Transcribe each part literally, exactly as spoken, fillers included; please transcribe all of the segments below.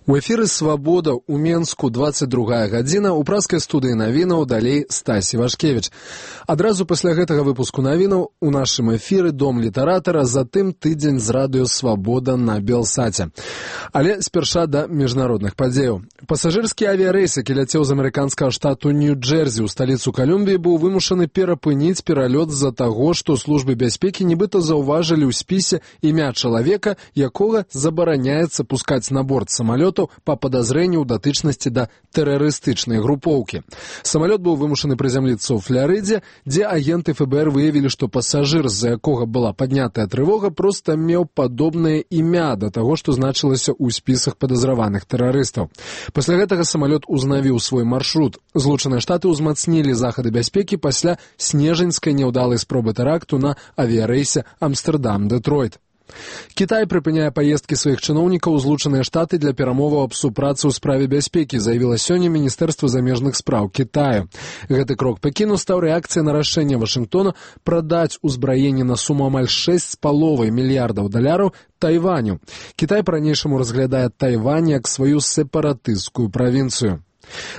У эфіры «Свабода» у Менску, двадцать другая гадзіна, у праскай студыі навінаў, далей Стась Івашкевіч. Адразу пасля гэтага выпуску навінаў у нашым эфіры «Дом літаратара», затым тыдзень з радыё «Свабода» на Белсаце. Але спярша да міжнародных падзеяў. Пасажырскі авіярэйс, які ляцеў з амерыканскага штату Нью-Джерсі ў сталіцу Калумбіі, быў вымушаны перапыніць пералёт з-за таго, што службы бяспекі нібыта заўважылі ў спісе імя чалавека, якога забараняецца пускаць на борт самалёта па падазрэнню ў датычнасці да тэрарыстычнай групоўкі. Самалёт быў вымушаны прызямліцца ў Фларыдзе, дзе агенты эф бэ эр выявілі, што пасажыр, з-за якога была паднятая трывога, проста меў падобнае імя да таго, што значылася ў спісах падазраваных тэрарыстаў. Пасля гэтага самалёт узнавіў свой маршрут. Злучаныя Штаты ўзмацнілі захады бяспекі пасля снежаньскай няўдалай спробы тэракту на авіярэйсе Амстэрдам-Дэтройт. Кітай прыпыняе паездкі сваіх чыноўнікаў у Злучаныя Штаты для перамоваў аб супрацы ў справе бяспекі, заявіла сёння Міністэрства замежных спраў Кітаю. Гэты крок Пекіну стаў рэакцыяй на рашэнне Вашынгтона прадаць узбраенне на суму амаль шэсць з паловай мільярдаў даляраў Тайваню. Кітай па-ранейшаму разглядае Тайвань як сваю сепаратысцкую правінцыю.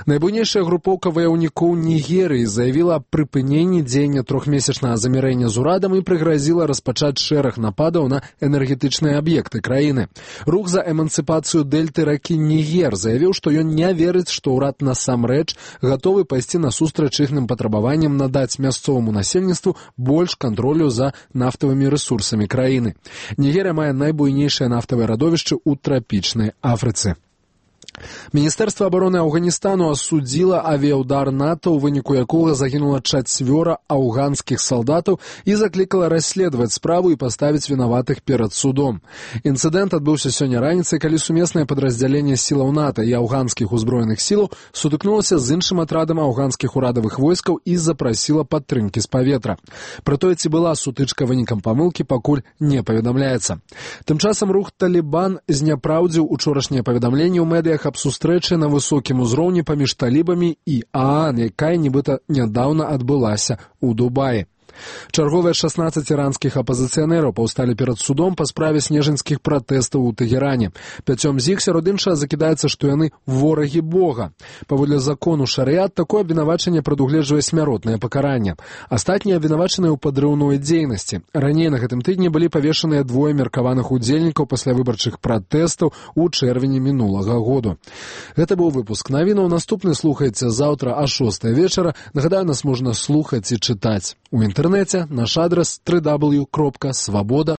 Найбуйнейшая групоўка ваяўнікоў Нігерыі заявіла аб прыпыненні дзеяння трохмесячнага замірэння з урадам і прыгразіла распачаць шэраг нападаў на энергетычныя аб'екты краіны. Рух за эмансіпацыю дэльты ракі Нігер заявіў, што ён не верыць, што ўрад насамрэч гатовы пайсці насустрач іхным патрабаванням надаць мясцоваму насельніцтву больш кантролю за нафтавымі рэсурсамі краіны. Нігерыя мае найбуйнейшае нафтавае радовішчы ў трапічнай Афрыцы. Міністэрства абароны Афганістану асудзіла авіяўдар НАТО, у выніку якога загінула чацвёра афганскіх салдатаў, і заклікала расследаваць справу і паставіць вінаватых перад судом. Інцыдэнт адбыўся сёння раніцай, калі сумеснае падраздзяленне сілаў НАТО і афганскіх узброеных сілаў сутыкнулася з іншым атрадам афганскіх урадавых войскаў і запрасіла падтрымкі з паветра. Пра тое, ці была сутычка вынікам памылкі, пакуль не паведамляецца. Тым часам рух Талібан зняпраўдзіў учорашняе паведамленне ў медыях аб сустрэчы на высокім узроўні паміж талібамі і ААН, якая нібыта нядаўна адбылася ў Дубаі. Чарговыя шаснаццаць іранскіх апазіцыянераў паўсталі перад судом па справе снежаньскіх пратэстаў у Тэгеране. Пяцём з іх сярод іншага закідаецца, што яны ворагі Бога. Паводле закону шарыят, такое абвінавачанне прадугледжвае смяротнае пакаранне. Астатнія абвінавачаныя ў падрыўной дзейнасці. Раней на гэтым тыдні былі павешаныя двое меркаваных удзельнікаў пасля выбарчых пратэстаў у чэрвені мінулага году. Гэта быў выпуск навінаў. Наступны слухайце заўтра а шостай вечара. Нагадаю, нас можна слухаць і чытаць у інтэрнэце. Наш адрес дабл ю дабл ю дабл ю кропка свабода